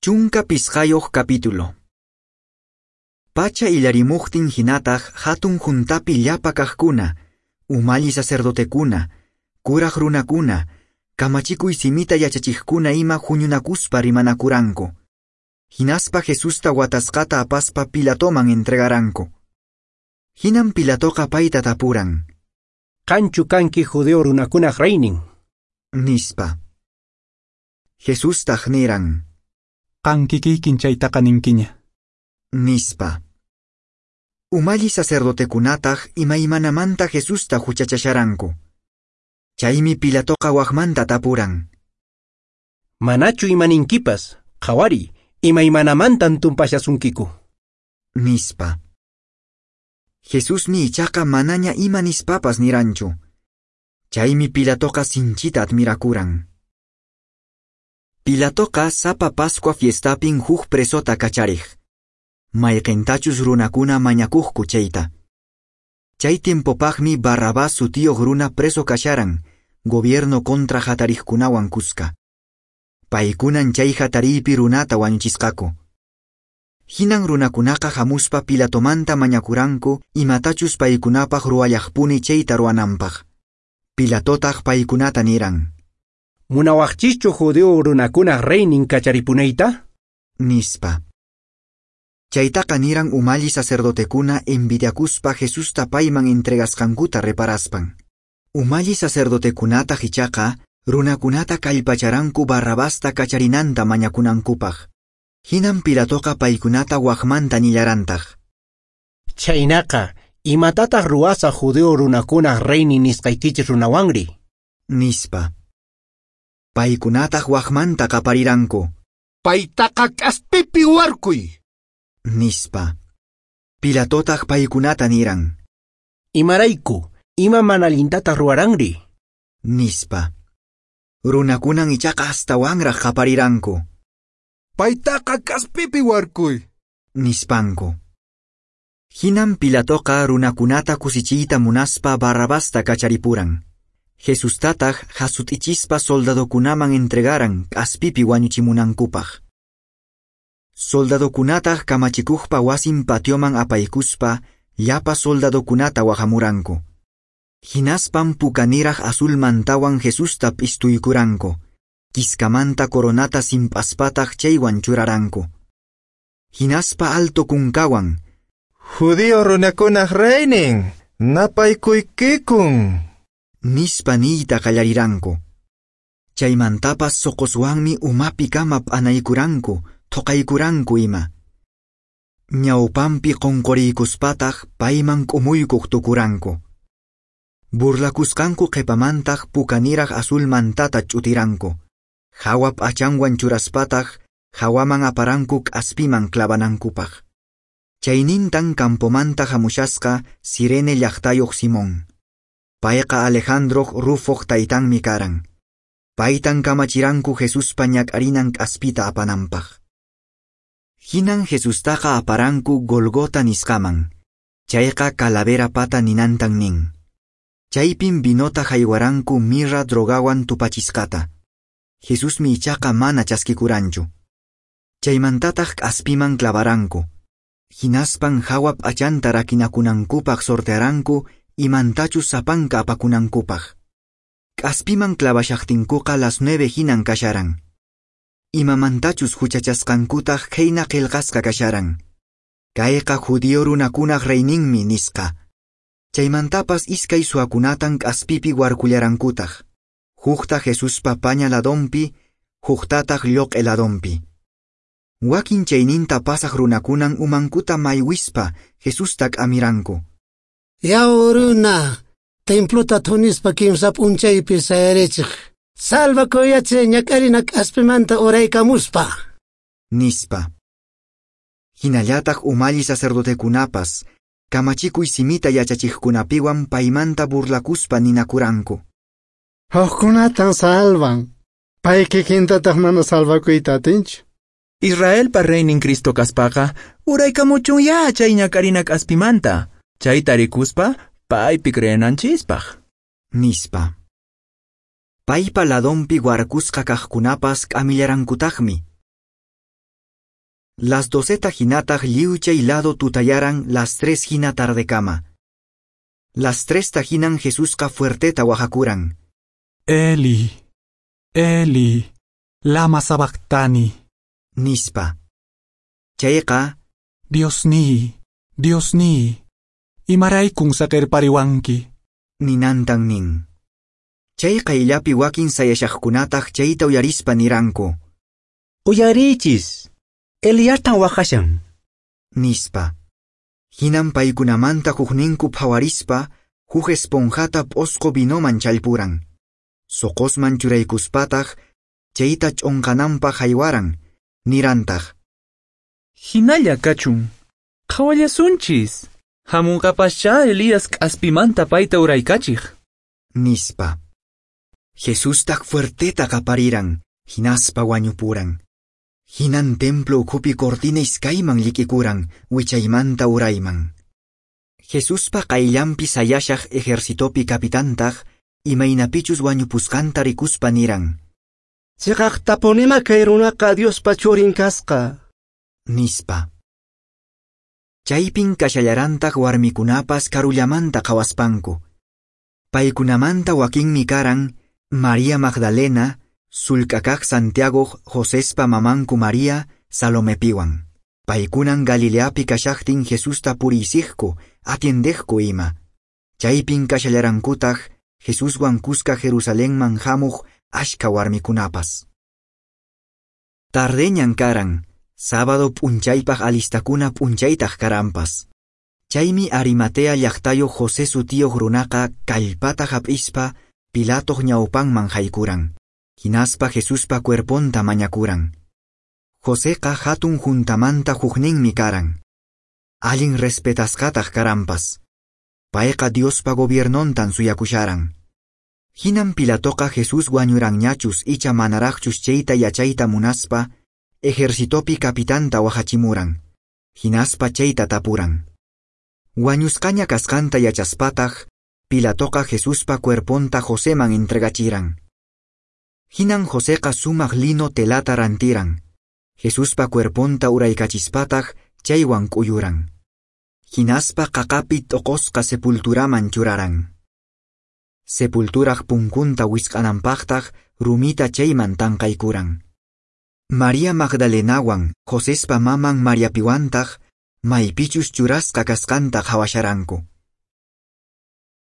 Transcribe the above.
15 capítulo. Pacha illarimuqtin hinataq hatun juntapi llapa kaqkuna, umalli sacerdotekuna, kuraq runakuna, kamachikuy simita yachachiqkuna ima huñunakuspa rimanakuranku. Hinaspa Jesusta watasqata apaspa Pilatoman entregaranku. Hinan Pilatoqa payta tapuran. Qanchu kanki judío runakunaq reynin? Nispa. Jesustaq niran. Qan kikiykin chaytaqa ninkiña. Nispa. Umalli sacerdotekunataq imaymanamanta Jesusta huchachasharanku. Chaymi Pilatoqa waqmanta tapuran. Manachu imaninkipas, qhawari, imaymanamantan tumpashasunkiku. Nispa. Jesusmi ichaqa manaña ima nispapas niranchu. Chaymi Pilatoqa sinchita admirakuran. Pilatoqa sapa Pascua fiestapin huk presota kachariq. Mayqintachus runakuna mañakuqku chayta. Chay tiempopaqmi Barrabás sutiyuq runa preso kasharan, gobierno contra hatariqkunawan kuska. Paykunan chay hatariypi runata wañuchisqaku. Hinan runakunaqa hamuspa Pilatomanta mañakuranku imatachus paykunapaq ruwallaqpuni chayta ruwananpaq. Pilatotaq paykunata niran. Munawaqchischu judío runakunaq reynin kacharipunayta? Nispa. Chaytaqa niran umalli sacerdotekuna envidiakuspa Jesusta payman entregasqankuta reparaspan. Umalli sacerdotekunataq ichaqa runakunata kallpacharanku Barrabasta kacharinanta mañakunankupaq. Hinan Pilatoqa paykunata waqmanta nillarantaq. Chaynaqa, imatataq ruwasaq judío runakunaq reynin nisqaykichis runawanri? Nispa. Paykunataq waqmanta qapariranku. Paytaqa k'aspipi warkuy. Nispa. Pilatotaq paykunata niran. Imarayku, ima mana allintataq ruwaranri? Nispa. Runakunan ichaqa astawanraq qapariranku. Paytaqa k'aspipi warkuy. Nispanku. Hinan Pilatoqa runakunata kusichiyta munaspa Barrabasta kacharipuran. Jesustataq hasut'ichispa soldadokunaman entregaran k'aspipi wañuchimunankupaq. Soldadokunataq kamachikuqpa wasin patioman apaykuspa llapa soldadokunata wahamuranku. Hinaspan pukaniraq azul mantawan Jesusta p'istuykuranku. Kiskamanta coronata simp'aspataq chaywan churaranku. Hinaspa alto kunkawan. Judío runakunaq reynin, napaykuykikun. Nispa niyta qallariranku. Chaymantapas soqoswanmi umapi kama p'anaykuranku, thoqaykuranku ima. Ñawpanpi qunquriykuspataq payman k'umuykuq tukuranku. Burlakusqanku qhipamantaq pukaniraq azul mantata ch'utiranku. Hawa p'achanwan churaspataq hawaman aparanku k'aspiman clavanankupaq. Chaynintan campomanta hamushasqa Sirene llaqtayuq Simón. Payqa Alejandroq Rufoq taytanmi karan. Paytan kamachiranku Jesuspa ñak'arinan k'aspita apananpaq. Hinan Jesustaqa aparanku Golgota nisqaman. Chayqa calavera pata ninantan nin. Chaypin vinota haywaranku mirra drogawan tupachisqata. Jesusmi ichaqa mana chaskikuranchu. Chaymantataq k'aspiman clavaranku. Hinaspan hawa p'achanta rakinakunankupaq sortearanku imantachus sapanka apakunankupaq. K'aspiman clavashaqtinkuqa las 9 hinan kasharan. Imamantachus huchachasqankutaq khayna qillqasqa kasharan. Kayqa judío runakunaq reyninmi nisqa. Chaymantapas iskay suwakunatan k'aspipi warkullarankutaq. Hukta Jesuspa paña ladonpi, huktataq lloq'e ladonpi. Wakin chayninta pasaq runakunan umankuta maywispa Jesusta k'amiranku. Yaw runa, templota thunispa kimsa p'unchaypi sayarichiq. Salvakuyachi ñak'arina k'aspimanta uraykamuspa. Nispa. Hinallataq umalli sacerdotekunapas, kamachikuy simita yachachiqkunapiwan paymanta burlakuspa ninakuranku. Hukkunatan salvan. Pay kikintataq mana salvakuyta atinchu. Israelpa reynin Cristo kaspaqa, uraykamuchunya chay ñak'arina k'aspimanta. Chayta rikuspa, paypi creenanchispaq. Nispa. Paypa ladonpi warkusqa kaqkunapas k'amillarankutaqmi. Las 12 hinataq lliw chay lado tutayaran las 3 hina tardekama. Las 3 hinan Jesusqa fuerteta waqakuran. Eli, Eli, lama sabactani. Nispa. Chayqa, Diosniy, Diosniy, imaraykun saqerpariwanki. Ninantan nin. Chay qayllapi wakin sayashaqkunataq chayta uyarispa niranku. Uyarichis, Eliastan waqashan. Nispa. Hinan paykunamanta hukninku phawarispa, huk esponjata p'osqo vinoman challpuran. Soqosman churaykuspataq, chayta ch'onqananpaq haywaran, nirantaq. Hinalla kachun. Qhawallasunchis. Hamunqapascha Elías k'aspimanta payta uraykachiq. Nispa. Jesustaq fuerteta qapariran, hinaspa wañupuran. Hinan templo ukhupi cortina iskayman llik'ikuran, wichaymanta urayman. Jesuspa qayllanpi sayashaq ejercitopi capitantaq, imaynapichus wañupusqanta rikuspa niran. Chiqaqtapunima kay runaqa Diospa churin kasqa. Nispa. Chaypin kashallarantaq warmikunapas karullamanta qhawaspanku. Paykunamanta wakinmi karan María Magdalena, Sulk'akaq Santiago Josespa mamanku María, Salomepiwan. Paykunan Galileapi kashaqtin Jesusta puriysiqku, atiendeqku ima. Chaypin kashallarankutaq Jesuswan kuska Jerusalenman hamuq ashka warmikunapas. Tardeñan karan, sábado p'unchaypaq alistakuna p'unchaytaq karanpas. Chaymi Arimatea llaqtayuq José sutiyuq runaqa kallpata hap'ispa Pilatoq ñawpanman haykuran. Hinaspa Jesuspa cuerponta mañakuran. Joseqa hatun juntamanta hukninmi karan. Allin respetasqataq karanpas. Payqa Diospa gobiernontan suyakusharan. Hinan Pilatoqa Jesús wañuranñachus icha manaraqchus chayta yachayta munaspa, ejercitopi capitanta wahachimuran. Hinaspa chayta tapuran. Wañusqaña kasqanta yachaspataq, Pilatoqa Jesuspa cuerponta Joseman entregachiran. Hinan Joseqa sumaq lino telata rantiran. Jesuspa cuerponta uraykachispataq chaywan k'uyuran. Hinaspa qaqapi t'oqosqa sepulturaman churaran. Sepulturaq punkunta wisq'ananpaqtaq rumita chayman tanqaykuran. María Magdalenawan Josespa maman Mariapiwantaq maypichus churasqa kasqanta qhawasharanku.